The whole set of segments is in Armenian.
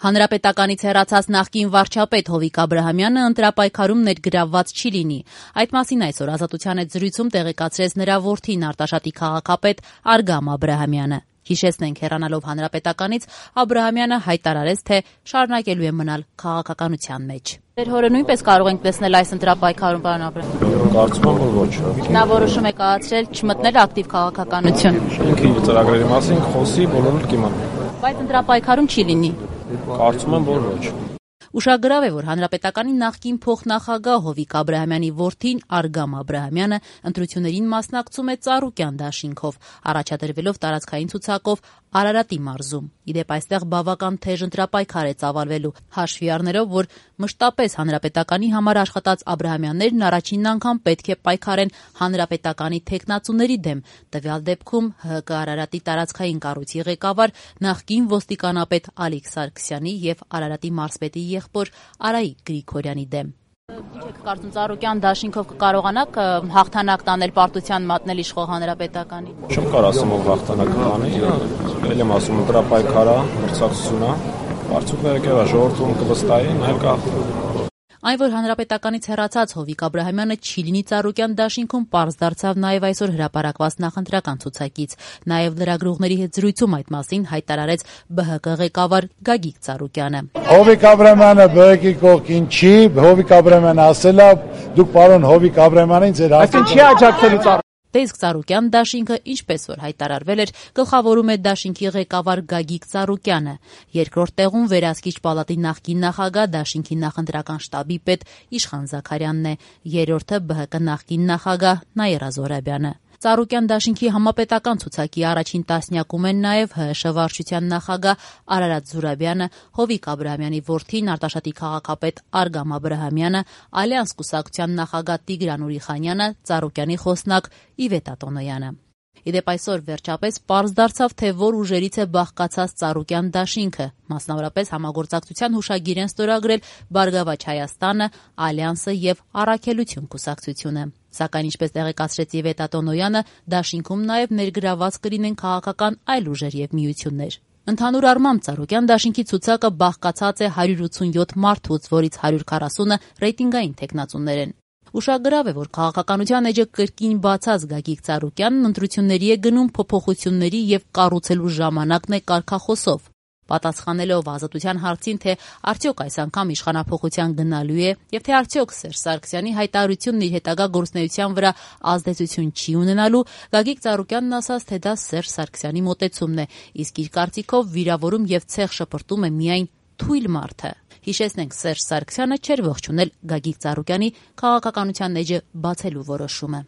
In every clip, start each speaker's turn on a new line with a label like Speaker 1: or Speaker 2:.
Speaker 1: Հանրապետականից հեռացած նախկին վարչապետ Հովիկ Աբրահամյանը ընտրապայքարում ներգրավված չի լինի։ Այդ մասին այսօր Ազատության հետ զրույցում տեղեկացրեց նրա որդին Արտաշատի քաղաքապետ Արգամ Աբրահամյանը։ Հիշեցնենք, հեռանալով Հանրապետականից Աբրահամյանը հայտարարեց, թե շարունակելու է մնալ քաղաքականության մեջ։ Ձեր հորը նույնպես կարող ենք տեսնել այս ընտրապայքարում, պարոն Աբրահամյան։
Speaker 2: Կարծում եմ, որ ոչ։
Speaker 1: Նա որոշում է կայացրել չմտնել ակտիվ քաղաքականություն։
Speaker 2: Ինքը իր ծրագրերի մասին խոսի, բոլորը կիմանան։
Speaker 1: Բայց ընտրապայքարում չի լինի։
Speaker 2: Կարծում եմ, որ ոչ։
Speaker 1: Ուշագրավ է, որ Հանրապետականի նախկին փոխնախագահ Հովիկ Աբրահամյանի որդին Արգամ Աբրահամյանը ընտրություններին մասնակցում է ծառուկյան դաշինքով, առաջադրվելով տարածքային ցուցակով Արարատի մարզում։ Իդեպ այստեղ բավական թեժ ընտրապայքար է ծավալվելու, հաշվի առնելով, որ մշտապես Հանրապետականի համար աշխատած Աբրահամյաններն առաջին անգամ պետք է պայքարեն Հանրապետականի թեկնածուների դեմ։ Տվյալ դեպքում ՀՀԿ Արարատի տարածքային կառույցի ղեկավար նախկին ոստիկանապետ Ալիկ Սարգսյանի եւ Արարատի մարզպետի եղբոր Արայիկ Գրիգորյանի դեմ։ Ինչ եք կարծում, ծառուկյան դաշինքով կկարողանաք հաղթանակ տանել, պարտության մատնել իշխող Հանրապետականի։
Speaker 2: Չեմ կարող ասեմ, որ հաղթանակ տանի, ել եմ ասում, ընտրապայքարա, մրցակցությունա, արդյունքները կերա ժողովրդում կվստահի, նայել կախվի։
Speaker 1: Այն, որ Հանրապետականից հեռացած Հովիկ Աբրահամյանը չի լինի ծառուկյան դաշինքում, պարզ դարձավ նաև այսօր հրապարակված նախընտրական ցուցակից։ Նաև լրագրողների հետ զրույցում այդ մասին հայտարարեց ԲՀԿ ղեկավար Գագիկ Ծառուկյանը։
Speaker 3: Հովիկ Աբրահամյանը ԲՀԿ-ի կողքին չի, Հովիկ Աբրահամյանը ասել է, դուք պարոն Հովիկ Աբրահամյանին ձեր
Speaker 4: Այսինքն չի աջակցելու
Speaker 1: Դե իսկ ծառուկյան դաշինքը, ինչպես որ հայտարարվել էր, գլխավորում է դաշինքի ղեկավար Գագիկ Ծառուկյանը։ Երկրորդ տեղում վերահսկիչ պալատի նախկին նախագահ, դաշինքի նախընտրական շտաբի պետ Իշխան Զաքարյանն է, երրորդը ԲՀԿ նախկին նախագահ Նաիրա Զոհրաբյանը։ Ծառուկյան դաշինքի համապետական ցուցակի առաջին տասնյակում են նաև ՀՀՇ վարչության նախագահ Արարատ Զուրաբյանը, Հովիկ Աբրահամյանի որդին Արտաշատի քաղաքապետ Արգամ Աբրահամյանը, Ալյանս կուսակցության նախագահ Տիգրան Ուրիխանյանը, Ծառուկյանի խոսնակ Իվետ Ատոնոյանը։ Իդեպ այսօր վերջապես պարզ դարձավ, թե որ ուժերից է բաղկացած ծառուկյան դաշինքը, մասնավորապես համագործակցության հուշագիր են ստորագրել Բարգավաճ Հայաստանը, Ալյանսը եւ Առաքելություն կուսակցությունը։ Սակայն ինչպես տեղեկացրեց Իվետ Ատոնոյանը, դաշինքում նաև ներգրաված կլինեն քաղաքական այլ ուժեր եւ միություններ։ Ընդհանուր առմամբ ծառուկյան դաշինքի ցուցակը բաղկացած է 187 մարդուց, որից 140-ը ռեյտինգային թեկնածուներ են։ Ուշագրավ է, որ քաղաքականության էջը կրկին բացած Գագիկ Ծառուկյանն ընտրությունների է գնում փոփոխությունների եւ կառուցելու ժամանակն է կարգախոսով։ Պատասխանելով Ազատության հարցին, թե արդյոք այս անգամ իշխանափոխության գնալու է եւ թե արդյոք Սերժ Սարգսյանի հայտարարությունն իր հետագա գործունեության վրա ազդեցություն չի ունենալու, Գագիկ Ծառուկյանն ասաց, թե դա Սերժ Սարգսյանի մոտեցումն է, իսկ իր կարծիքով վիրավորում եւ ցեղ շպրտում է միայն թույլ մարդը։ Հիշեցնենք, Սերժ Սարգսյանը չէր ողջունել Գագիկ Ծառուկյանի քաղաքականության էջը բացելու որոշումը։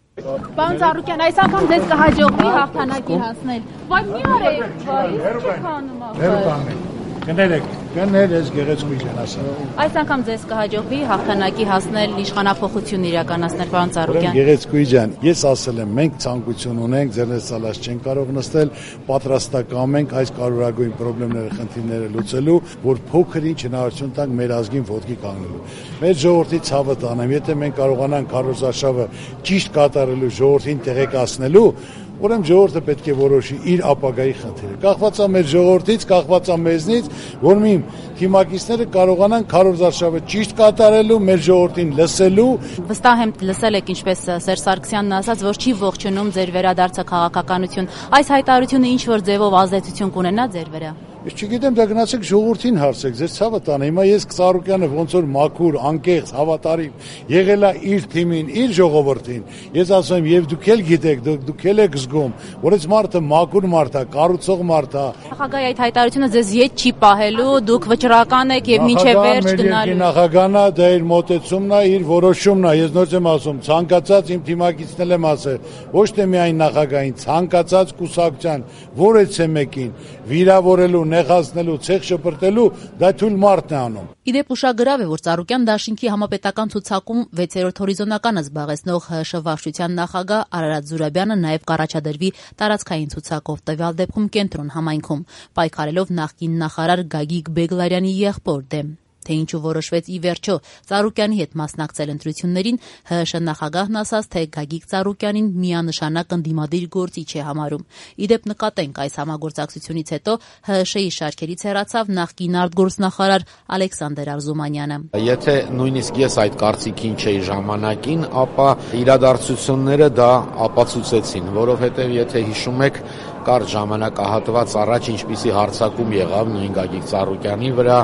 Speaker 5: Պարոն Ծառուկյան, այս անգամ ձեզ կհաջողվի հաղթանակի հասնել։ Բայց մի արեք, բայց չեք անում
Speaker 3: Կներեք, գեղեցկույն են ասել։
Speaker 1: Այս անգամ ձեզ կհաջողվի հաղթանակի հասնել, իշխանափոխություն իրականացնել, պարոն Ծառուկյան։
Speaker 3: Գեղեցկույն ջան, ես ասել եմ, մենք ցանկություն ունենք, ձերնից ցալած չենք կարող նստել, պատրաստական ենք այս կարևորագույն խնդիրները, խնդիրները լուծելու, որ փոքր ինչ հնարավորություն տանք մեր ազգին ոտքի կանգնելու։ Մեր ժողովրդի ցավը տանեմ, եթե մենք կարողանանք քարոզարշավը ճիշտ կատարելու, ժողովրդին տեղեկացնելու, ուրեմն ժողովուրդը պետք է որոշի իր ապագայի խնդիրը։ Կախված է մեր ժողովրդից, կախված է մեզնից, որ մի թիմակիցները կարողանան քարոզարշավը ճիշտ կատարելու, մեր ժողովրդին լսելու։
Speaker 1: Վստահ եմ լսել եք, ինչպես Սերժ Սարգսյանն ասաց, որ չի ողջունում ձեր վերադարձը քաղաքականություն։ Այս հայտարարությունը ինչ որ ձևով ազդեցություն կունենա ձեր վրա։
Speaker 3: Ես չգիտեմ, դա գնացեք ժողովրդին հարցեք, ձեր ցավը տանը։ Հիմա ես Ծառուկյանը ոնց որ մաքուր, անկեղծ, հավատարիմ եղել է իր թիմին, իր ժողովրդին։ Ես ասում եմ, եւ դուք էլ գիտեք, դուք էլ եք զգում, որ այս մարդը մաքուր մարդ է, կառուցող մարդ է։
Speaker 1: Նախագահի այդ հայտարարությունը ձեզ ետ չի պահելու, դուք վճռական եք եւ մինչեւ վերջ գնալու։
Speaker 3: Նախագահն է, դա իր մոտեցումն է, իր որոշումն է։ Ես նորից եմ ասում, ցանկացած իմ թիմակիցն եմ ասել, ոչ թե միայն նախագահին, ցանկացած կուսակցության, որեցե մեկին վիրավորելու, նեղացնելու, ցեղ շպրտելու, դա թույլ մարդն է անում։
Speaker 1: Իդեպ ուշագրավ է, որ Ծառուկյան դաշինքի համապետական ցուցակում 6-րդ հորիզոնականը զբաղեցնող ՀՀՇ վարչության նախագահ Արարատ Զուրաբյանը նաև կառաջադրվի տարածքային ցուցակով, տվյալ դեպքում Կենտրոն համայնքում, պայքարելով նախկին նախարար Գագիկ Բեգլարյանի եղբոր դեմ։ Թե ինչու որոշվեց ի վերջո Ծառուկյանի հետ մասնակցել ընտրություններին, ՀՀՇ նախագահն ասաց, թե Գագիկ Ծառուկյանին միանշանակ ընդդիմադիր գործիչ է համարում։ Իդեպ նկատենք, այս համագործակցությունից հետո ՀՀՇ-ի շարքերից հեռացավ նախկին արտգործնախարար Ալեքսանդր Արզումանյանը։
Speaker 4: Եթե նույնիսկ ես այդ կարծիքին չէի ժամանակին, ապա իրադարձությունները դա ապացուցեցին, որովհետև եթե հիշում եք, կարճ ժամանակահատված առաջ ինչպիսի հարձակում եղավ նույն Գագիկ Ծառուկյանի վրա,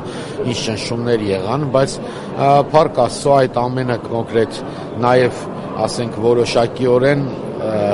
Speaker 4: ինչ ճնշումներ եղան, բայց փառք Աստծո այդ ամենը կոնկրետ նաև ասենք որոշակիորեն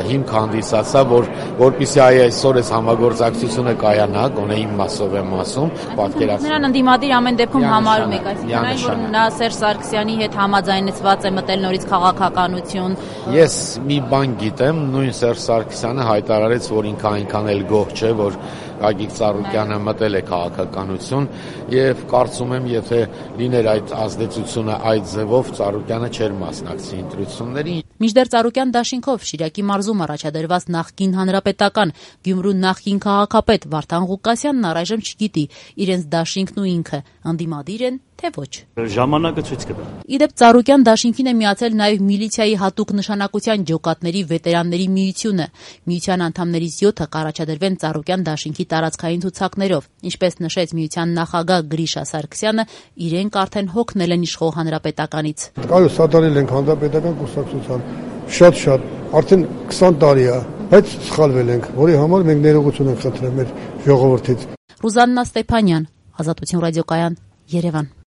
Speaker 4: հիմք հանդիսացավ, որպեսզի այսօր այս համագործակցությունը կայանա, գոնե իմ մասով եմ ասում, պատկերացնում։
Speaker 1: Նրան ընդդիմադիր ամեն դեպքում համարում եք, այսինքն այն, որ նա Սերժ Սարգսյանի հետ համաձայնեցված է մտել նորից քաղաքականություն։
Speaker 4: Ես մի բան գիտեմ, նույն Սերժ Սարգսյանը հայտարարեց, որ ինքը այնքան էլ գոհ չէ, որ Գագիկ Ծառուկյանը մտել է քաղաքականություն, եւ կարծում եմ, եթե լիներ այդ ազդեցությունը այդ ձևով, Ծառուկյանը չէր մասնակցի ընտրություններին։
Speaker 1: Մինչդեռ Ծառուկյան դաշինքով Շիրակի մարզում առաջադրված նախկին հանրապետական Գյումրու նախկին քաղաքապետ Վարդան Ղուկասյանն առայժմ չգիտի իրենց դաշինքն ու ինքը ընդդիմադիր են, թե ոչ։
Speaker 6: Ժամանակը ցույց կտա։
Speaker 1: Իդեպ Ծառուկյան դաշինքին է միացել նաև միլիցիայի հատուկ նշանակության ջոկատների վետերանների միությունը։ Միության անդամներից 7-ը կառաջադրվեն Ծառուկյան դաշինքի տարածքային ցուցակներով։ Ինչպես նշեց միության նախագահ Գրիշա Սարգսյանը, իրենք արդեն հոգնել են իշխող հանրապետականից։
Speaker 7: Կարո սատարել ենք հանրապետական կուսակցության շատ, արդեն 20 տարի է, բայց սխալվել ենք, որի համար մենք ներողություն ենք խնդրել մեր ժողովրդից։
Speaker 1: Ռուզաննա Ստեփանյան, Ազատություն ռադիոկայան, Երևան։